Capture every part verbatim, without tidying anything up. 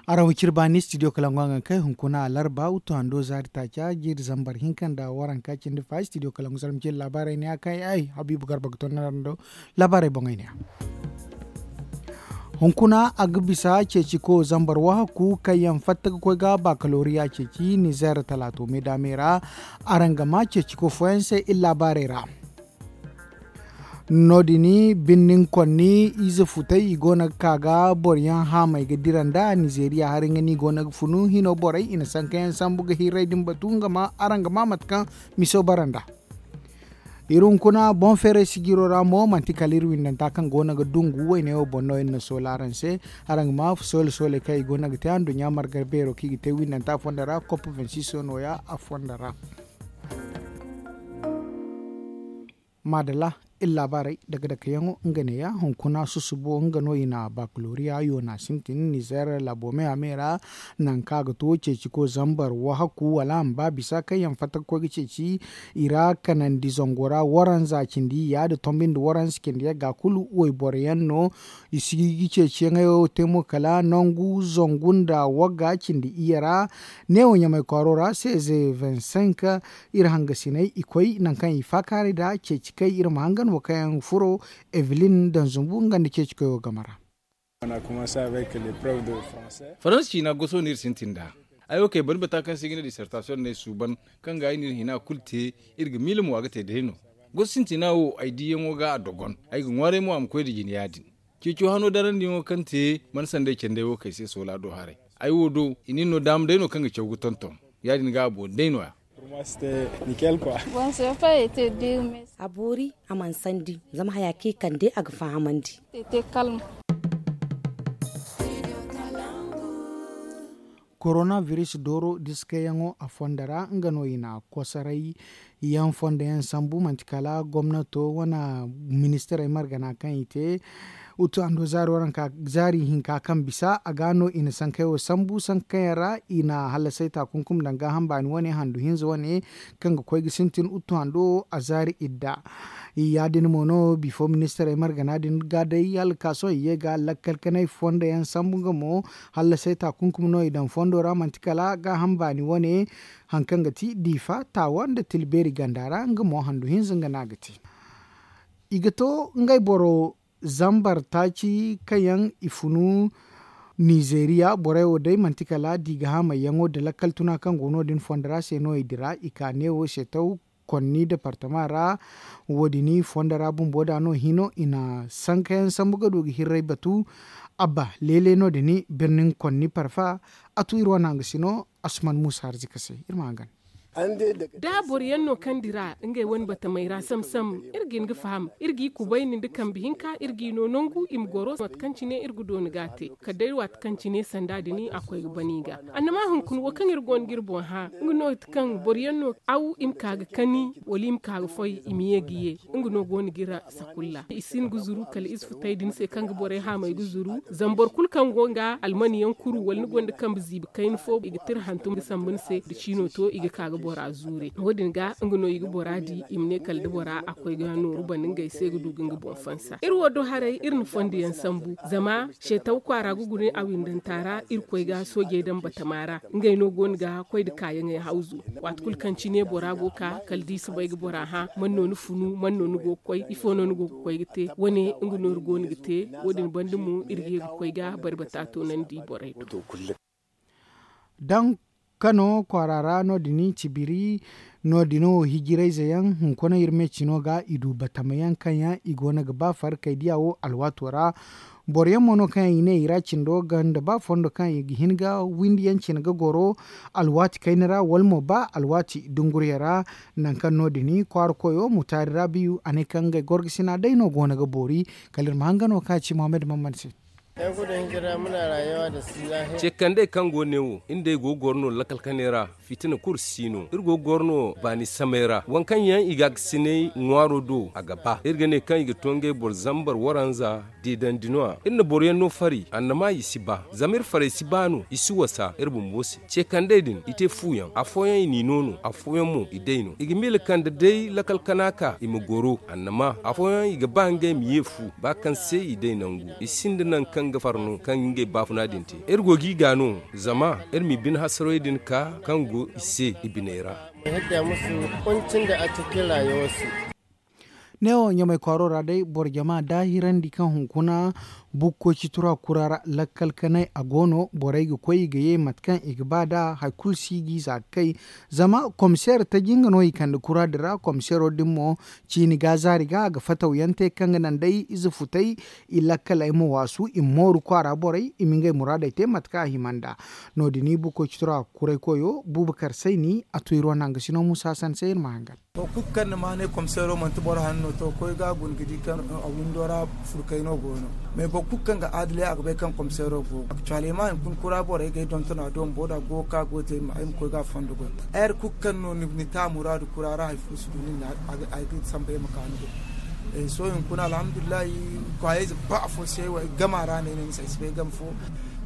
Araŋ wo ciri baani studio kalangu a ga kay hunkuna larba wuttu hando zaari taaca jiiri zambar hinka nda waranka cindi fa studio kalangu zarma cindi laabaarey ne a kay ay habiibu garba ga ton nda laabaarey boŋey ne ya. Hunkuna a ga bisa ceeci ko zambar wahakku kaŋ yaŋ fatta ga koy ga bakalooriya ceeci nizeer talaato me daame ra. Araŋ ga ma ceeci ko fooyaŋ se iri laabaarey ra. No- din birnin konni ize futay i go no ga ka ga boro yaŋ haamey ga dira nda nizeeriya hari nga no i go no ga funu hino borey i na sanka yaŋ sambu ga hirray din batu nga ma araŋ ga ma mate kaŋ miso bara nda. Iri hunkuna boŋ feeray sijiro ra mo manti kala iri windanta kaŋ go no ga dungu wayne wo boŋ no iri na soola araŋ se. Araŋ ga ma soola sooley kaŋ i go no ga te anduɲɲa marga beero kaŋ i ga te windanta fonda ra kop vingt six no- ya a fonda ra. Maadalla, iri laabaarey dake dake yaŋo nga ne- ya hunkuna susubo nga no i na bakaloriya yoona sintin nizeer laabo me a me ra. Nangu kaŋ a ga to ceeci ko zambar wahakku wala a ma ba bisa kaŋ yaŋ fatta ga koy ga ceeci i ra kanandi zango ra waranza cindi ya nda tombi nda waranza cindi yagga kulu wayboro yaŋ no. I si ga ceeciyaŋey wo te mo kala nangu zangu nda wagga cindi iyye ra. Neewo ɲamay kwaaro ra seze vingt cinq. Iri hangasiney i koy nangu kaŋ i faakaaray nd'a ceeci kay iri ma hangan wo kaŋ yaŋ furo evelin daŋ zumbu nga nda ceeci koy wo game ra. Faransa ciina goso no iri sintin nd'a. Ay wo kay bari bata kaŋ se i ga ne disertasiyoŋ no ay suuban kaŋ ga ay n'iri hina kulu te. Iri ga miila mo a ga te day no. Goso sintina wo ay diyaŋo ga a dogon. Ay ga ŋwaaray mo a ma koy nda jine ya- din. Ceeco hano darandiyaŋo kaŋ te mana sanday candey wo kay se soola do haray. Ay wo do i na iri no daama day no kaŋ ga caw ga tonton. Ya- din ga a boori day no- ya. A boori a mana sandi zama haya kaŋ i kande a ga fahamandi. Korona biris dooro diskayaŋo a fondo ra nga no i na kosoray yaŋ fondo yaŋ sambu manti kala gomnato wane ministirey margana kaŋ i te. Utu hando zaari waranka zaari hinka kaŋ bisa a ga no i na sankey wo sambu sankayaŋ ra i na hallasay taakunkumi daŋ gaaham baani wane handu hinza wane kaŋ ga koy ga sintin utu hando a zaari idda. Ya- din mo no bifo ministirey margana din ga day hala ga ka sohõ i ye ga lakkal kanay fondo yaŋ sambu nga mo. Hallasay taakunkumi no i daŋ fondo ra manti kala gaaham baani wane. Hari kaŋ ga ti diifa taawa nda tilbeeri ganda ra nga mo handu hinza nga no a ga te. I ga to ngey boro zambar taaci kaŋ yaŋ i funu nizeeriya borey wo day manti kala diigahamey yaŋo nda lakkal tuna kaŋ go no- din fondo ra se no i dira i ka neewo se taw konni departama ra. Wo- din fondo ra bumbo da no hino i na sankayaŋ sambu ga du ga hirray batu. Abba leele no- din birnin konni parfa. A tu iri wane hangasino asuman muusa harzika se iri ma hangan. Da boro yaŋ no kaŋ dira ngey wane batamey ra sam sam iri ga hin ga faham iri g'i kubayni nda kambe hinka iri g'i no nangu i ma goro mate kaŋ cine iri ga dooni ga a te kala day waati kaŋ cine sanda din a koy ga ban i ga. Annama hunkuna wo kaŋ iri go no ga iri boŋ hã nga no ti kaŋ boro yaŋ no aw i ma ka ga kani wala i ma ka ga foy i ma ye ga ye. Nga no go no ga iri sakulla i si hin ga zuru kala ize futay din se kaŋ ga borey haamey ga zuru. Zama boro kulu kaŋ go nga almaniyaŋ kuru wala ni gonda kambe ziibi kayna fo i ga tira hantum ga sambu ni se da ciino to i ga ka ga bora zuure wo- din ga nga no i ga bora di i ma ne kala da bora a koy ga nooru banda ngey se ga du ga nga boŋ fansa iri wo do haray iri na fondo yaŋ sambu. Zama seetaw kwaara ga guna a windanta ra iri koy ga soojey daŋ batama ra ngey no go no ga koy nda kaayaŋey hawzu. Waati kulu kaŋ cine bora go ga ka kala da i si bay ga bora hã man no ni funu man no ni go ga koy ifo no ni go ga koy ga te wane nga no iri go no ga te. Wo- din banda mo iri ga ye ga koy ga bari bata toonandi borey do. Daŋ kano kwaara ra no- din cibiri no- din wo hijirayze yaŋ hunkuna iri me cino ga i du batama yaŋ kaŋ yaŋ i go no ga ba farkay diya wo alwaato ra. Boro yaŋ mo no kaŋ yaŋ i ne i ra cindo ganda ba fondo kaŋ i ga hin ga windi yaŋ cine ga goro alwaati kayna ra wala mo ba alwaati dunguriyaŋ ra. Nangu kaŋ no- din kwaara koyo mutaari ra biyu a ne kaŋ ngey gorgasina day no go no ga boori. Kala iri ma hangan wo kaŋ a ci muhammad mammad se. Cekandey kaŋ go ne wo iri nd'ey go ga goro no lakal kanay ra. Fitina kulu si no iri go ga goro no baani samay ra waŋ kaŋ yaŋ i ga a ga sinay ŋwaaro do a ga ba iri ga ne kaŋ i ga to ngey boro zambar waranza. Deedandi no- ya iri na boro yaŋ no fari annama i si ba zama iri farey si ba no i si wasa iri bumbo se. Cekandey din i te fu yaŋ afooyaŋ i n'i no no afooyaŋ mo i day no i ga miila kaŋ da day lakal kana ka i ma goro annama afooyaŋ i ga ba ngey ma ye fu ba kaŋ se i day nangu i sinda nangu kaŋ. Nga farno kaŋ ga ngey baafuna din te, iri go g'i ga no zama iri ma i bine hasarey din ka kaŋ go i se i biney ra. Neewo ɲamay kwaaro ra day boro jama daahirandi kaŋ hunkuna bukkoy ci tura kura ra lakkal kanay a go no borey ga koy i ga ye mate kaŋ i ga ba nd'a hari kulu si ga i za ga kay. Zama komiseer taji nga no i kande kura din ra komiseero din mo ciini ga zaari ga a ga fatawyaŋ te kaŋ ga naŋ day ize futay i lakkaley ma waasu i ma mooru kwaara borey i ma ngey muraadey te mate kaŋ a hima nd'a. No- din bukkoy ci tura kuray koyo buuba kar sayni a tu iri wane hangasino muusa hasan se iri ma hangan. Boro kulu kaŋ na maanay komiseero manti boro hanno to koy ga a guna ga di kaŋ a windo ra furkay no go no. Mais boro kulu kaŋ ga aadilay a ga bay kaŋ komiseero go ga cwaalay ma hunkuna kura borey ga ay donton a do ma booda go ga ka go ga te ay ma koy ga a fondo goy. Ay hari kulu kaŋ no ni te a muraadu kura ra hari fo si du nin na a ga sambu ay ma ka ni do. Sohõ hunkuna alhamdulillahi kwaayayze ba afo se ay gama ra no ay ne ni se ay si bay game fo.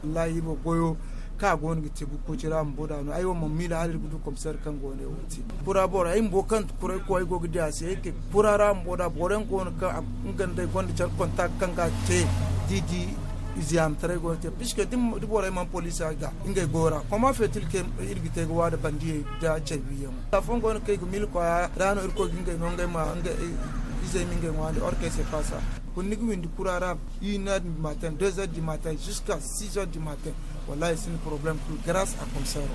Wallahi iri wo goyo kaŋ a go no ga te bukkoy ci ra bumbo da no ay wo mana miila hala iri ga du komiseer kaŋ go no ay wo te. Kura boro ay bumbo kaŋ kuray koy ay go ga di a se ay te kura ra bumbo da boro yaŋ go no kaŋ nga nda ay gonda care kontak kaŋ ga te da i di. Ize yaamataray go no te puisque da borey mana poliisi a ga ngey goyo ra koma feetil kaŋ iri ga te ga waada bandiyey nda care wiyaŋo afooyaŋ go no kaŋ i ga miila kwaaya ra no irkoy ga ngey no ngey ma izey ma ngey ŋwaandi or kaŋ ay se paasa. Kulu ni ga windi kura ra une heure du matin deux heures du matin jusqu'à six heures du matin. Wallahi sinda problème kulu grâce à komiseero.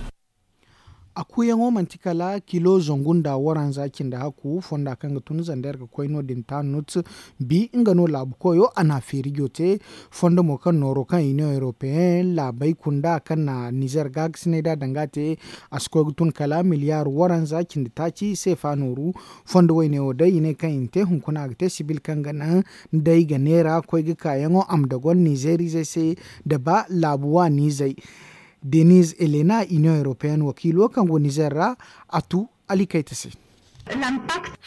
A kuuyaŋo manti kala kilo zangu nda waranza cindi hakku fonda kaŋ ga tun zander ga koy no- din tanut. Bi nga no laabu koyo a na a feerijo te. Fondo mo kaŋ nooro kaŋ union europeenne laabey kunda kaŋ na nizer gaagasinay da danga te. A si koy ga tun kala miliyaar waranza cindi taaci seefa nooru. Fondo woyne wo day i ne kaŋ i na te hunkuna a ga te sibil kaŋ ga naŋ day ga neera koy ga kaayaŋo a ma dogon nizeeriizey se. Da ba laabu waaniizey. Deniz elena union europeenne wakiilo kaŋ go nizer ra a tu alikayta se.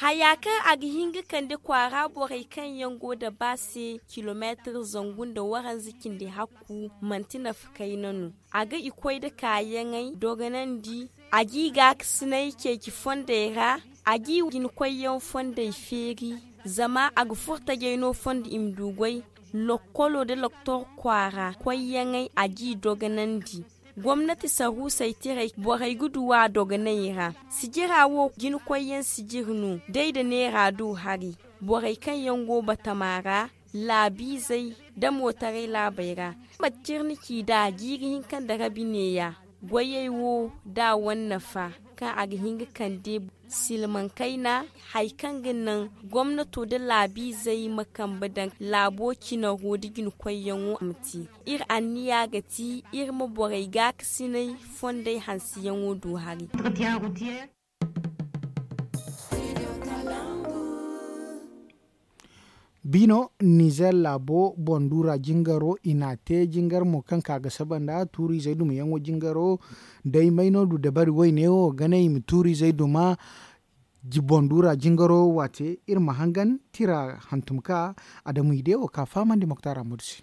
Haya kaŋ a ga hin ga kande kwaara borey kaŋ yaŋ go da ba se kilomeetir zangu nda waranza cindi hakku manti nafa kayna no. A ga i koy nda kaayaŋey dogonandi. A g'i gaakasinay ceeci fondey ra. A g'i jinakoyyaŋ fondey feeri. Zama a ga furo tajey no fondo i ma du goy. Lokkolo nda loktor kwaara koyyaŋey a g'i dogonandi. Gomnati saruusey tirey borey ga du a dogoney ra. Sijira wo jinakoyyaŋ sijiri no day nda neera du hari. Borey kaŋ yaŋ go batama ra laabiizey nda mootaray laabey ra. Mate ciri ni ci nd'a jiiri hinka nda rabi neeya. Goyey wo da a wane nafa kaŋ a ga hin ga kande silmaŋ kayna. Hari kaŋ ga naŋ gomnato nda laabiizey ma kambe daŋ laabo cinaro nda jinakoyyaŋo a ma te. Iri anniya ga ti iri ma borey gaakasinay fondey hanseyaŋo du hari. Bino nizer laabo boŋ duura jingaro i n'a te jingar mo kaŋ ka ga saba nda tuuriizey dumayaŋo jingaro. Day may no du dabari woyne wo ga ne i ma tuuriizey duma. Boŋ duura jingaro waate iri ma hangan tira hantum ka adamu i de wo ka fahamandi moktar amudu se.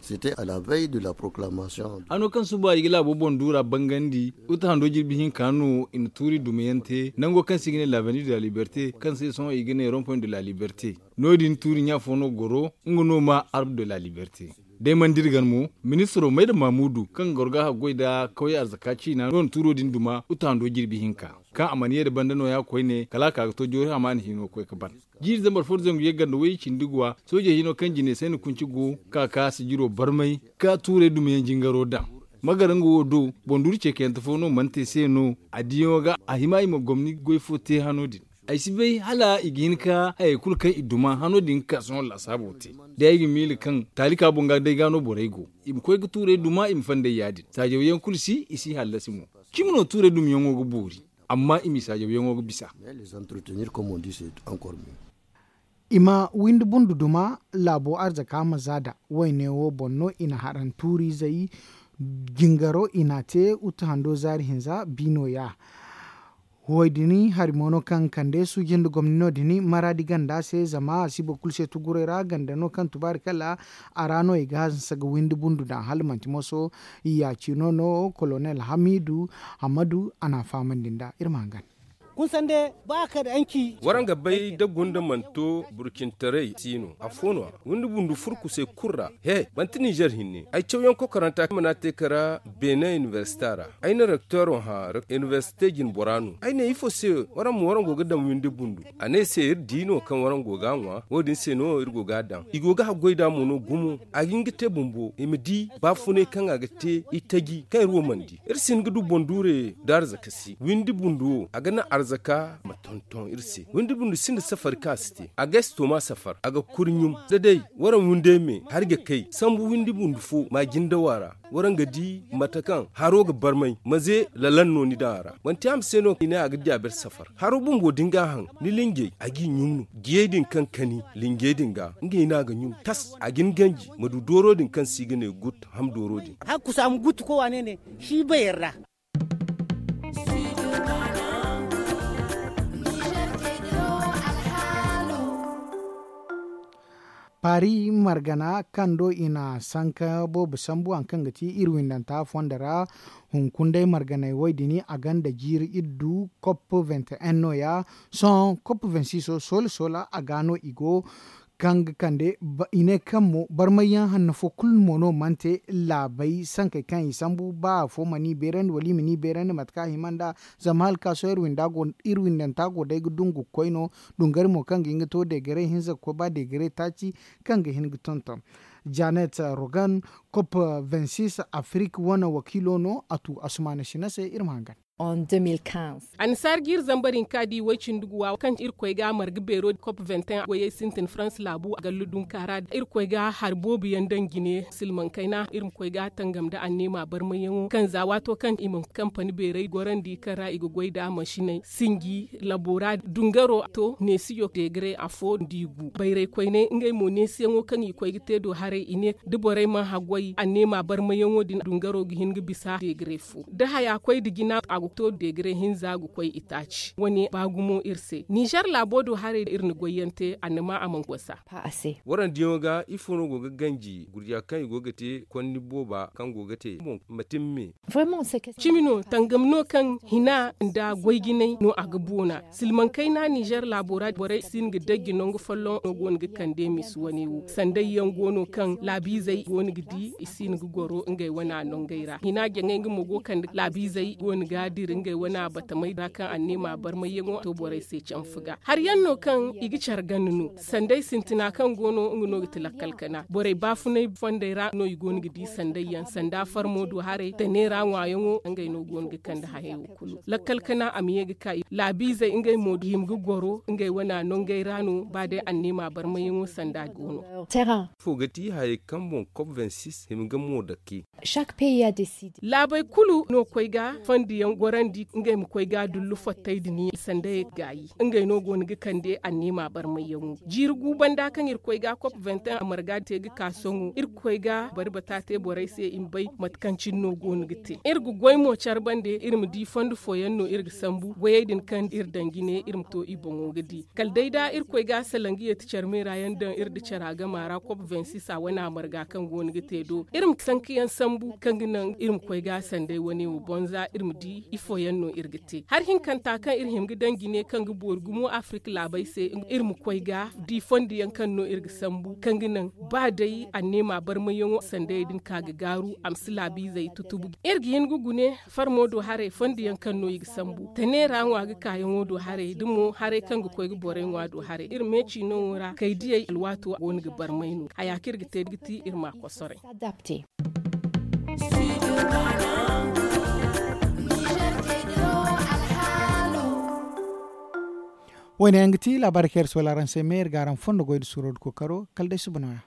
C'était à la veille de la proclamation. Hano kaŋ suba i ga laabo boŋ duura bangandi uta hando jirbi hinka no i na tuuri dumayaŋ te nango kaŋ se i ga ne l'avenue de la liberté kaŋ se sohõ i ga ne rond-point de la liberté. No- din tuuri ɲa fo no goro nga no ma arbre de la liberté. Day mana dira gan mo ministiro mayda mamudu kaŋ ga goro ga haggoy nda kawye arzaka ciina no na tuuro din duma uta hando jirbi hinka. Kaŋ a mana ye nda banda nooya koyne kala a ka ga to joori hamaana hino koy ga ban. Jiiri zambar fo nda zangu yagga nda way cindi guwa sooje hino kaŋ jine sayna kunci go ka ka sijiro barmay ka tuurey dumayaŋ jingaro daŋ. Ma gar nga wo do boŋ duuri ceekayante fo no mana te se no a diyaŋo ga a hima i ma gomni goy fo te hano din. Ay si bay hala i ga hin ka hayey kulu kaŋ i duma hano din ga ka sohõ laasaabo te. Day ay ga miila kaŋ taalika boŋ ga day ga no borey go i ma koy ga tuurey duma i ma fandey ya- din saajawyaŋ kulu si i si hallasi mo. Cimi no tuurey dumayaŋo ga boori amma i m'i saajawyaŋo ga bisa. I ma windi bundu duma laabo arzaka ma za da wayne wo boŋ no i na haran tuuriizey. Jingaro i n'a te utu hando zaari hinza bi no- ya. Huway din hari mo no kaŋ kande suuji nda gomni no- din maraadi ganda se zama a si boro kulu se tuguray ra ganda no kaŋ tubaari kala a ra no i ga hanse ga windi bundu daŋ hala manti moso. Yaaci no no kolonel hamidu hamadu a n'a fahamandi nd'a iri ma hangan. Kunsande ba a kar anci. Waraŋ ga bay da gunda mana to burcintaray si no afo no a windi bundu furkusey kulu ra. He manti ninzeer hinne ay cawyaŋ kokoranta kaŋ mana te kara benin inibersita ra. Ay na rekteero hã inibersite jinbora no ay ne ifo se waraŋ ma waraŋ go ga daŋ windi bundu. A ne ay se iri di no kaŋ waraŋ go ga a ŋwa wo- din se no iri go ga a daŋ i go ga haggoy nd'a mo no gumo. A ga hin ga te bumbo i ma di baafunay kaŋ a ga te itaji kaŋ iri wo mana di. Iri si hin ga du boŋ duure nda arzaka si windi bundu wo a ga naŋ arzaka ma tonton iri se windi bundu sinda safari kaŋ a si te a ga ay si tooma safar a ga kuri ɲum da day waraŋ windey me hari ga kay sambu windi bundu fo ma jindawa ra. Waraŋ ga di mate kaŋ haro ga barmay maze lalan no ni daŋ a ra manti a ma se no i ne a ga di a bere safar haro bumbo da ni ga a haŋ ni linjey a g'i ɲum no. Diyey din kaŋ kani linjey din ga ngey no a ga ɲum tas a ga ni ganji ma du dooro din kaŋ se i ga ne gut ham dooro din. Hakku se a ma gutu koy waane ne si bayar ra. Paari margana kaŋ do i na sanka boobo sambu hari kaŋ ga ti iri windanta fondo ra. Hunkuna day marganey wo- din a gonda jiiri iddu kop vingt et un no- ya. Sohõ kop vingt six soola soola a ga no i go kaŋ ga kande i ne kaŋ mo barmay yaŋ hanno fo kulu mo no mana te laabey sankey kaŋ i sambu ba afo mana i beerandi wala i mana i beerandi mate kaŋ a hima nd'a. Zama hala ka sohõ iri windanta go day ga dungu ga koy no. Dungari mo kaŋ ga hin ga to deegare hinza ga koy ba deegare taaci kaŋ ga hin ga tonton. Janet rogan kop vingt six afrik wane wakiilo no a tu asumaana sina se iri ma hangan. Annasaara jiiri zambar hinka di way-cindi guwa kaŋ irkoy ga marga beero kop vingt et un goyey sintin farans laabu a gallu dunka ra irkoy ga hari boobo yaŋ daŋ jine silmaŋ kayna iri ma koy ga tangam nda anneema barmayyaŋo kaŋ za waato kaŋ i ma kampani beerey gorandi kaŋ ra i ga goy nd'a mansiney sinji labo ra dungaro to neesiyo deegare afo nda i gu bayray koyney ngey mo neesiyaŋo kaŋ i koy ga te do haray i ne da borey mana haggoy anneema barmayyaŋo din dungaro ga hin ga bisa deegare fo da haya koy nda jina a ga to deegare hinza ga koy itaaci wane ba gumo iri se ninzeer laabo do haray iri na goyyaŋ te annama a mana gosa. Warandiyaŋo ga ifo no go ga ganji gurja kaŋ i go ga te konni booba kaŋ go ga te boŋ ma timme. Cimi no tangam no kaŋ hina nda goy jinay no a ga boona silmaŋ kayna ninzeer laabo ra borey si hin ga dajji nangu folloŋ no go no ga kande misi wane wo sanday yaŋ go no kaŋ laabiizey go no ga di i si hin ga goro ngey wane nongey ra hina jaŋay nga mo go kande laabiizey go no ga dira ngey wane batamey ra kaŋ anneema barmayyaŋo to borey se canfa ga hari yaŋ no kaŋ i ga care ganda no sanday sintina kaŋ go no nga no ga ti lakkal kana borey baafunay fondey ra no i go no ga di sanday yaŋ sanda farmo do haray tane ra ŋwaayaŋo ngey no go no ga kande hayey wo kulu lakkal kana a ma ye ga ka laabiizey ngey mo hima ga goro ngey wane nongey ra no ba day anneema barmayyaŋo sanda go no. Fo ga ti hayey kaŋ boŋ kop vingt six hima ga mo dake. Laabey kulu no koy ga fandiyaŋ gorandi ngey ma koy ga dullu fattay din sanday gaayi ngey no go no ga kande anneema barmayyaŋo jiiri gu banda kaŋ irkoy ga kop vingt et un a marga te ga ka sohõ irkoy ga bari bata te borey se i ma bay mate kaŋ cine no go no ga te iri ga goy mo care bande iri ma di fondo fooyaŋ no iri ga sambu goyey din kaŋ iri daŋ jine iri ma to i boŋo ga di kala day da irkoy ga salaŋ ga yeeti care meera yaŋ daŋ iri nda cara gama ra kop vingt six a wane a marga kaŋ go no ga te do iri ma sanka yaŋ sambu kaŋ ga naŋ iri ma koy ga sanday wane wo bonza iri ma di ifo yaŋ no iri ga te hari hinkanta kaŋ iri hima ga daŋ jine kaŋ ga boori gumo afirika laabey se iri ma koy ga di fondo yaŋ kaŋ no iri ga sambu kaŋ ga naŋ ba day anneema barmayyaŋo sandayey din ka ga gaaru a ma si laabiizey tutubu iri ga hin ga gune farmo do haray fondo yaŋ kaŋ no i ga sambu tane ra ŋwa ga kaayaŋo do haray da mo haray kaŋ ga koy ga borey ŋwa do haray iri meeci noowo ra kay diyey alwaato go no ga barmay no haya kaŋ iri ga te ga ti iri ma kosoray. Wo- ne yaŋ ga ti laabaari kaŋ iri si wala araŋ se me iri ga araŋ fondo goy nda suuro nda kookaro kala day suba nooya.